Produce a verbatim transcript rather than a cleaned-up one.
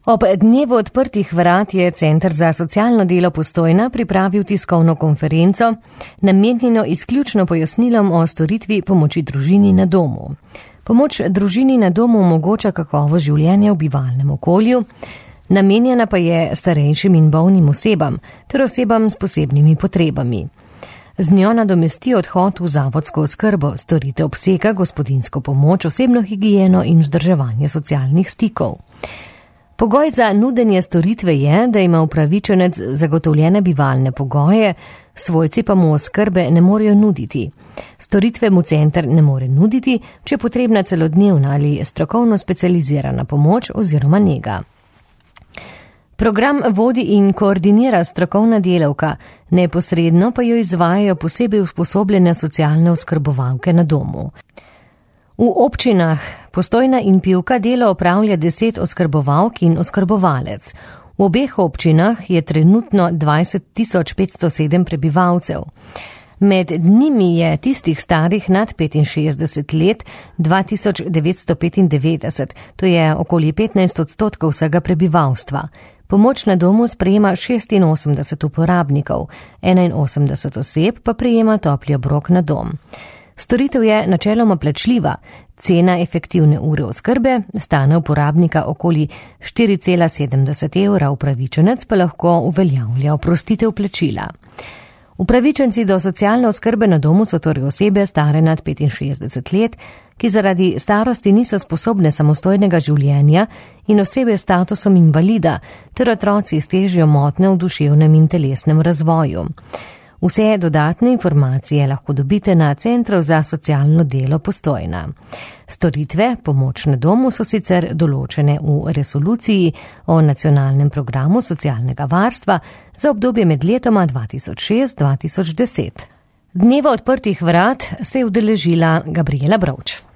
Ob dnevu odprtih vrat je Center za socialno delo Postojna pripravil tiskovno konferenco, namenjeno izključno pojasnilom o storitvi pomoči družini na domu. Pomoč družini na domu omogoča kakovost življenja v bivalnem okolju, namenjena pa je starejšim in bolnim osebam ter osebam s posebnimi potrebami. Z njo nadomesti odhod v zavodsko oskrbo, storitev obsega gospodinjsko pomoč, osebno higieno in vzdrževanje socialnih stikov. Pogoj za nudenje storitve je, da ima upravičenec zagotovljene bivalne pogoje, svojci pa mu oskrbe ne morejo nuditi. Storitve mu center ne more nuditi, če je potrebna celodnevna ali strokovno specializirana pomoč oziroma nega. Program vodi in koordinira strokovna delavka, neposredno pa jo izvajajo posebej usposobljene socialne oskrbovalke na domu. V občinah Postojna in Pivka delo opravlja deset oskrbovalk in oskrbovalec. V obeh občinah je trenutno dvajset tisoč petsto sedem prebivalcev. Med njimi je tistih starih nad petinšestdeset let dva tisoč devetsto petindevetdeset, to je okoli petnajst odstotkov vsega prebivalstva. Pomoč na domu sprejema šestinosemdeset uporabnikov, enainosemdeset oseb pa prejema topli obrok na dom. Storitev je načeloma plačljiva, cena efektivne ure oskrbe stane uporabnika okoli štiri cela sedemdeset evra, upravičenec pa lahko uveljavlja oprostitev plačila. Upravičenci do socialne oskrbe na domu so torej osebe stare nad petinšestdeset let, ki zaradi starosti niso sposobne samostojnega življenja in osebe s statusom invalida ter otroci s težjo motnjo v duševnem in telesnem razvoju. Vse dodatne informacije lahko dobite na Centru za socialno delo Postojna. Storitve pomoč na domu so sicer določene v resoluciji o nacionalnem programu socialnega varstva za obdobje med letoma dva tisoč šest do dva tisoč deset. Dneva odprtih vrat se je udeležila Gabriela Brovč.